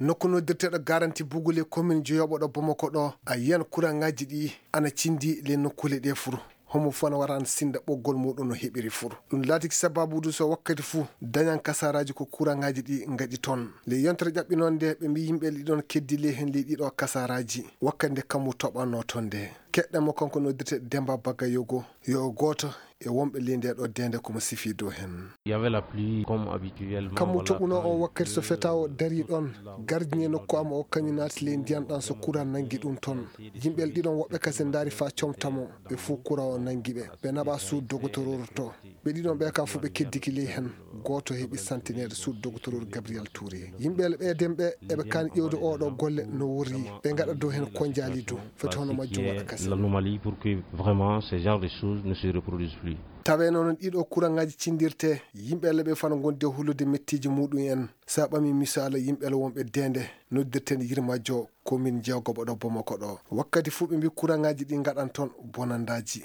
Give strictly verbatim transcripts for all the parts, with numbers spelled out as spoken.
Nokku noddirteeɗo garanti bugule commune jeyoɓo ɗo Bamako ɗo, a yiyan kuraŋaaji ɗi ana cindi le nokkuule ɗe fuu. Homo fana waran sinda ɓoggol muɗum no heɓiri fuu. Ɗum laatiki sababu du so wakkati fuu dañan kasaraaji ko kuraŋaaji ɗi ngaɗi toon. Le yontere ƴaɓɓinoon nde ɓe mbi yimɓe ɗiɗon keddi le hen le ɗiɗo kasaraaji. Wakkati nde kammu toɓanno toon nde. Keɗɗa mo kanko noddirte Demba Bagayogo. Yo gooto e wonɓe ley ndee ɗoo deende ko mo sifii dow heen. Il y avait la pluie comme habituellement. Kammu toɓunoo o wakkati so fetaa o darii ɗoon, gardien nokku am o kañum naati ley ndiyan ɗan so kuran nanngi ɗum toon. Yimɓe ɗiɗon woɓɓe kasen ndaari faa comta mo, ɓe fof kuran o nanngi ɓe. Ɓe naɓaa suudu dogotoroor to. Ɓe ɗiɗon ɓe ka fof ɓe keddiki ley heen. Gooto heɓi santineede suudu dogotoroor Gabriel Touré. Yimɓe ɓe ɗen ɓe eɓe kaani ƴeewde oo ɗoo golle no worri. Ɓe ngaɗa dow heen konjaali du. Foti hono majjum waɗa kasen. L'anomalie pour que vraiment ce genre de choses ne se reproduise plus. Tawee noon ɗiɗo kuraŋaaji cindirte, yimɓe le ɓe fana ngondi e hulude mettiiji muɗum en. Sa ɓami misaala yimɓe le wonɓe deende, noddirten Yirmajo, commune jeegoɓo ɗo Bamako ɗo. Wakkati fof ɓe mbi kuraŋaaji ɗi ngaɗan toon bonandaaji.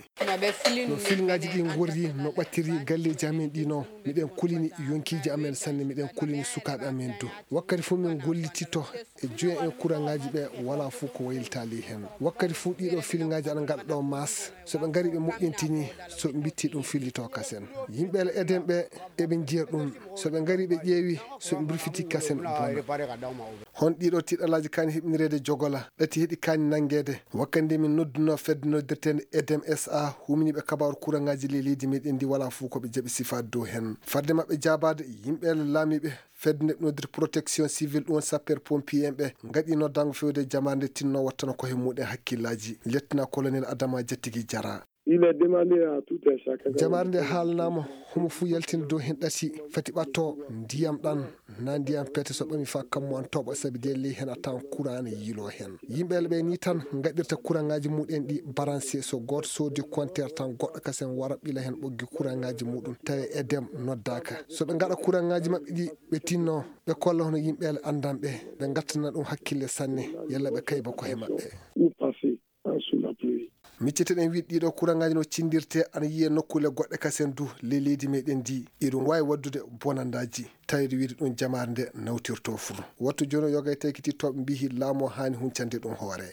No filŋaaji ɗi ngorri, no ɓattiri galleeji amen ɗi no. Miɗen kulini yonkiiji amen sanne, miɗen kulini sukaaɓe amen du. Wakkati fof min gollitito e joyen en kuraŋaaji ɓe, walaa fof ko waylitaali heen. Wakkati fof ɗiɗo filŋaaji ana ngaɗa ɗo maas. So ɓe ngari ɓe moƴƴintini, so ɓe mbitti ɗum fillito kasen. Yimɓe le eden ɓe, eɓe njiya ɗum. So ɓe ngari ɓe ƴeewi, so ɓe mbirfiti kasen bona. Hon ɗiɗo tiɗalaaji kaani heɓinireede jogola, ɗati heɗi kaani nanngeede. Wakkati nde min noddunoo fedde noddirteende Edem S A, huminiiɓe kabaaru kuraŋaaji ley leydi meɗen ndi walaa fof ko ɓe jaɓi sifaade dow heen. Fadde maɓɓe jaabaade, yimɓe le laamiiɓe fedde nde noddirte protection civile ɗum sapeur pompier en ɓe ngaɗi noddaango fewde jamaare nde tinno wattana ko he muɗen hakkillaaji. Lieutenant colonel Adama Jattigi Jara. Il est demandé à tout un chacun. Jamaare nde haalanaama homo fuu yaltina dow heen ɗati fati ɓatto ndiyam ɗan na ndiyam pete so ɓami faa kammu an toɓa sabi de ley heen a tawan kuraŋ ne yiiloo heen. Yimɓe le ɓe ni tan ngaɗirta kuraŋaaji muɗen ɗi baranse so gooto soodi konteer tan goɗɗo kasen wara ɓila heen ɓoggi kuraŋaaji muɗum tawi Edem noddaaka. So ɓe ngaɗa kuraŋaaji maɓɓe ɗi ɓe tinno ɓe kolla hono yimɓe le anndanɓe ɓe ngattana ɗum hakkille sanne yalla ɓe kayba ko he maɓɓe. Ou passer en sous la pluie. Micciteɗen wiide ɗiɗo kuraŋaaji no cindirte ana yiye nokkuule goɗɗe kasen du ley leydi meɗen ndi. Iɗum waawi waddude bonandaaji. Tawde wiide ɗum jamaare nde nawtirto fuu. Wattu jooni o yoga e taykitittooɓe mbihi laamu o haani huncande ɗum hoore.